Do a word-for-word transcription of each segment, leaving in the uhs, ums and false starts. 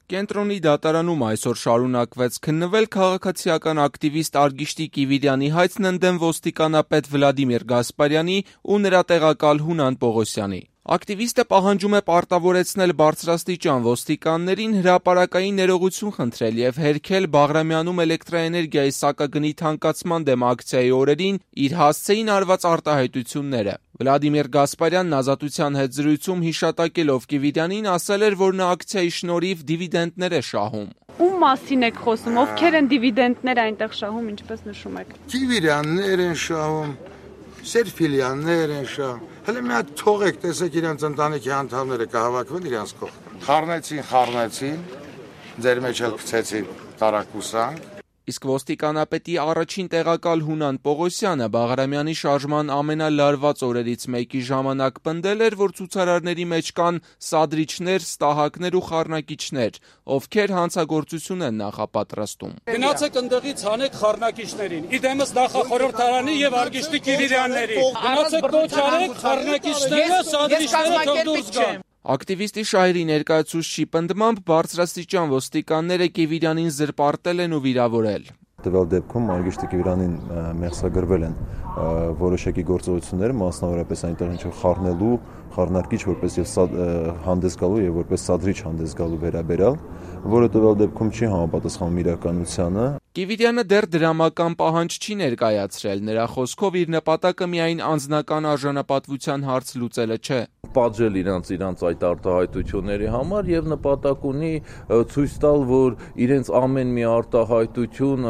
Կենտրոնի դատարանում այսօր շարունակվեց քննվել քաղաքացիական ակտիվիստ Արգիշտի Կիվիրյանի հայցն ընդդեմ ոստիկանապետ Վլադիմիր Գասպարյանի ու նրա տեղակալ Հունան Պողոսյանի։ Ակտիվիստը պահանջում է պարտավորեցնել բարձրաստիճան ոստիկաններին հրապարակային ներողություն խնդրել և հերքել Բաղրամյանում էլեկտրաէներգիայի սակագնի թանկացման դեմ ակցիայի օրերին իր հասցեին արված արտահայտությունները։ Վլադիմիր Գասպարյանն Ազատության հետ զրույցում հիշատակելով Կիվիրյանին ասել էր, որ նա ակցիայի շնորհիվ դիվիդենտներ է շահում։ Ում մասին եք խոսում, ովքեր են դիվիդենտներ այնտեղ շահում, ինչպես նշում եք։ Կիվիրյաններ են շահում, Սերֆիլյաններ են շահում։ Հələ մի հատ թողեք, տեսեք իրանց ընտանիքի անդամները կհավաքվեն իրանց կողք։ Խառնեցին, խառնեցին, ձեր մեջ էլ գցեցին տարակուսանք։ Իսկ ոստիկանապետի առաջին տեղակալ Հունան Պողոսյանը Բաղրամյանի շարժման ամենալարված օրերից մեկի ժամանակ պնդել էր, որ ցուցարարների մեջ կան սադրիչներ, ստահակներ ու խառնակիչներ, ովքեր հանցագործություն են նախապատրաստում։ Գնացեք ընդեղից հանեք խառնակիչներին, իդեմս նախախորհրդարանի եւ Արգիշտի Կիվիրյանների։ Գնացեք կոչ արեք խառնակիչները, սադրիչները թող դուրս գան։ Ակտիվիստի շահերի ներկայացուցչի պնդմամբ բարձրաստիճան ոստիկանները Կիվիրյանին զրպարտել են ու վիրավորել։ Տվյալ դեպքում Արգիշտի Կիվիրյանին մեղսագրվել են որոշակի գործողություններ, մասնավորապես այնտեղ ինչ-որ խառնելու, խառնարկիչ որպես հանդես գալու եւ որպես սադրիչ հանդես գալու վերաբերյալ, որը տվյալ դեպքում չի համապատասխանում իրականությանը։ Կիվիրյանը դեռ դրամական պահանջ չի ներկայացրել, նրա խոսքով իր նպատակը միայն անձնական արժանապատվության հարց լուծելը չէ։ Պատժել իրանց իրանց այդ արտահայտությունների համար եւ նպատակ ունի ցույց տալ, որ իրենց ամեն մի արտահայտություն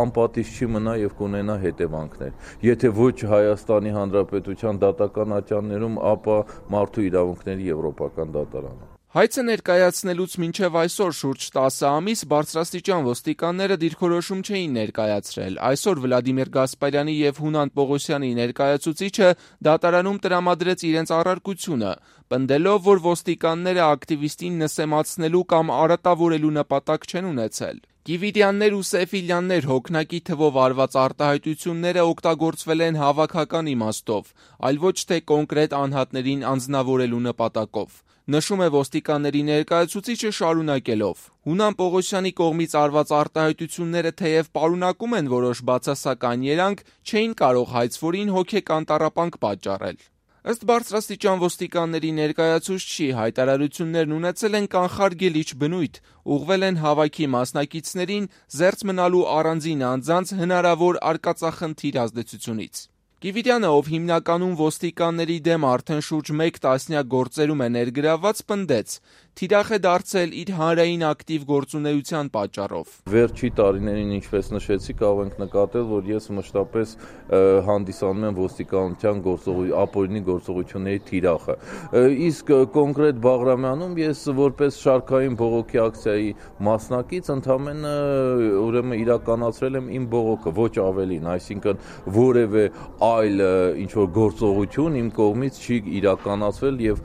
անպատիժ չի մնա եւ կունենա հետևանքներ։ Եթե ոչ Հայաստանի Հանրապետության դատական ատյաններում, ապա մարդու իրավունքների եվրոպական դատարանում։ Հայցը ներկայացնելուց մինչև այսօր շուրջ տասը ամիս բարձրաստիճան ոստիկանները դիրքորոշում չէին ներկայացրել։ Այսօր Վլադիմիր Գասպարյանի եւ Հունան Պողոսյանի ներկայացուցիչը դատարանում տրամադրեց իրենց առարկությունը, պնդելով, որ ոստիկանները ակտիվիստին նսեմացնելու կամ արատավորելու նպատակ չեն ունեցել։ Կիվիրյաններ ու Սեֆիլյաններ հոգնակի թվով արված արտահայտությունները օգտագործվել են հավաքական իմաստով, այլ ոչ թե կոնկրետ անհատներին անձնավորելու նպատակով։ Նշում է ոստիկանների ներկայացուցիչը շարունակելով. Հունան Պողոսյանի կողմից արված արտահայտությունները թեև պարունակում են որոշ բացասական երանգ, չէին կարող հայցվորին հոգեկան տառապանք պատճառել։ Ըստ բարձրաստիճան ոստիկանների ներկայացուցչի հայտարարություններն ունեցել են կանխարգելիչ բնույթ, ուղղվել են հավաքի մասնակիցներին զերծ մնալու առանձին անձանց հնարավոր արկածախնդիր ազդեցությունից։ Կիվիրյանը, ով հիմնականում ոստիկանների դեմ արդեն շուրջ մեկ տասնյակ գործերում է ներգրավված, պնդեց. թիրախ է դարձել իր հանրային ակտիվ գործունեության պատճառով։ Վերջի տարիներին, ինչպես նշեցի, կարող ենք նկատել, որ ես մշտապես հանդիսանում եմ ոստիկանության ապօրինի գործողությունների թիրախը։ Իսկ կոնկրետ Բաղրամյանում ես որպես շարքային բողոքի ակցիայի մասնակից ընդամենը ուրեմն իրականացրել եմ իմ բողոքը, ոչ ավելին, այսինքն որևէ այլ ինչ-որ գործողություն իմ կողմից չի իրականացվել եւ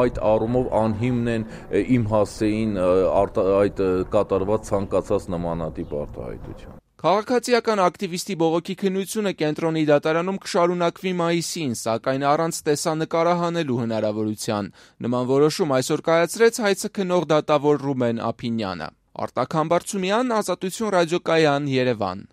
այդ առումով անհիմն են իմ հասցեին այդ կատարված ցանկացած նմանատիպ արտահայտություն։ Քաղաքացիական ակտիվիստի բողոքի քննությունը կենտրոնի դատարանում կշարունակվի մայիսին, սակայն առանց տեսանկարահանելու հնարավորության։ Նման որոշում այսօր կայացրեց հայցը քննող դատավոր Ռուբեն Ափինյանը։ Արտակ Համբարձումյան, Ազատություն ռադիոկայան, Երևան։